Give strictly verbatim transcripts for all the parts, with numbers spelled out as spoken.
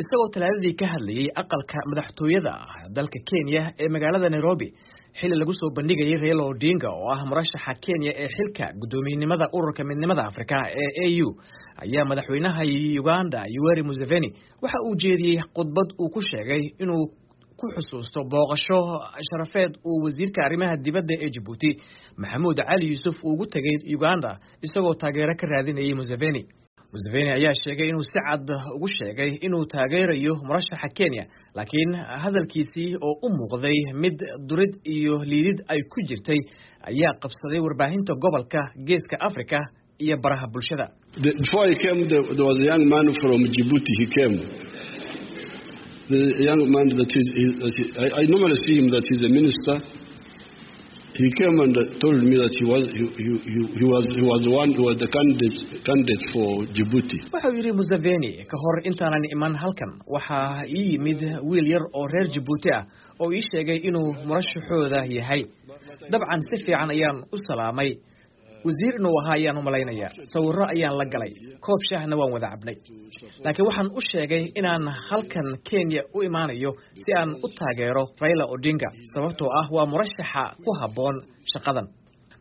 Isagoo Talaadadii ka hadlayay aqalka madaxtooyada dalka Kenya ee magaalada Nairobi, xilli lagu soo bandhigayay Raila Odinga oo ah murashaxa Kenya ee xilka guddoomiyenimada Ururka Midnimada Afrika ee A U, ayaa madaxweynaha Uganda Yoweri Museveni waxa uu jeediyey khudbad uu ku sheegay inuu ku xusuusto booqasho sharafeed uu wasiirka arrimaha dibadda ee Jabuuti Maxamuud Cali Yuusuf uu ugu tegay Uganda, isagoo taageero ka raadinayay Museveni. Museveni ayaa sheegay inuu si cad ugu sheegay inuu taageerayo murashaxa Kenya, laakiin hadalkiisii oo u muuqday mid durid iyo liidid ay ku jirtay ayaa qabsaday warbaahinta gobolka Geeska Africa iyo baraha bulshada. Before I came, there, there was a young man from Djibouti. He came. The young man that is, he, that he, I, I normally see him that he's a minister. He came and told me that he was he, he, he was he was the one who was the candidate candidate for Djibouti. Wuxuu yidhi Museveni, "Ka hor intaanan iman halkan, waxaa ii yimid wiil yar oo reer Jabuuti ah oo ii sheegay inuu murashaxooda yahay. Dabcan si fiican ayaan u salaamay, wasiir inuu ahaa ayaan u malaynayaa. Sawirro ayaan la galay, koob shaahna waan wada cabnay, laakiin waxaan u sheegay inaan halkan Kenya u imaanayo si aan u taageero Raila Odinga, sababtoo ah waa murashaxa ku habboon shaqadan."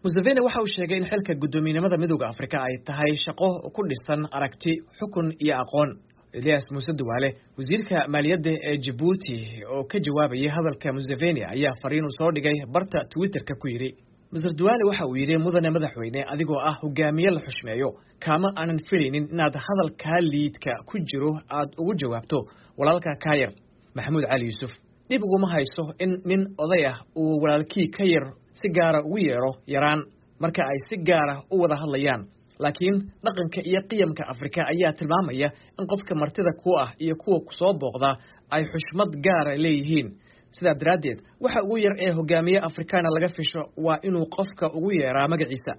Museveni waxa uu sheegay in xilka guddoomiyenimada Midowda Afrika ay tahay shaqo ku dhisan aragti, xukun iyo aqoon. Elias Muuse Duwaale, wasiirka maaliyadda ee Jabuuti, oo ka jawaabayay hadalka Museveni, ayaa fariin uu soo dhigay barta Twitterka ku yidhi: Mister Duwaale waxa uu yidhi, "Mudane madaxweyne, adigoo ah hogaamiye la xushmeeyo, kaama aanan filaynin inaad hadalkaa liidka ku jiro aad ugu jawaabto walaalka kaa yar Maxamuud Cali Yuusuf. Dhib uguma hayso in nin oday ah uu walaalkii ka yar si gaara ugu yeedho yaraan marka ay si gaara u wada hadlayaan, laakiin dhaqanka iyo qiyamka Afrika ayaa tilmaamaya in qofka martida ku ah iyo kuwa kusoo booqda ay xushmad gaara leeyihiin. Sidaa daraaddeed, waxa ugu yar ee hogaamiye Afrikaana laga fisho waa inuu qofka ugu yeeraa magaciisa.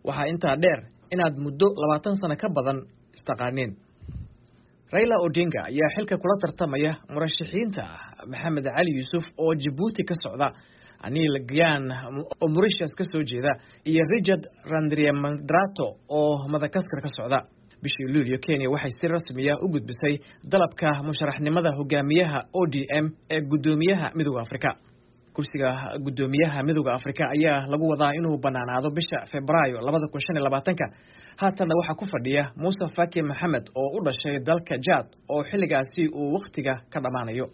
Waxaa intaa dheer inaad muddo labaatan sano ka badan istaqaaneen." Raila Odinga ayaa xilka kula tartamaya murashaxiinta Maxamed Cali Yuusuf oo Jabuuti ka socda, Anil Gyan oo Mauritius ka soo jeeda iyo Richard Randriamandrato oo Madagaskar ka socda. Bishii Luulyo, Kenya waxay si rasmiya u gudbisay dalabka musharaxnimada hogaamiyaha O D M ee guddoomiyaha Midowda Afrika. Kursiga guddoomiyaha Midowda Afrika ayaa lagu wadaa inuu banaanaado bisha Febraayo labada kun shan iyo labaatanka. Haatanna waxaa ku fadhiya Muuse Faki Maxamed oo u dhashay dalka Jad oo xilligaasi uu wakhtiga ka dhammaanayo.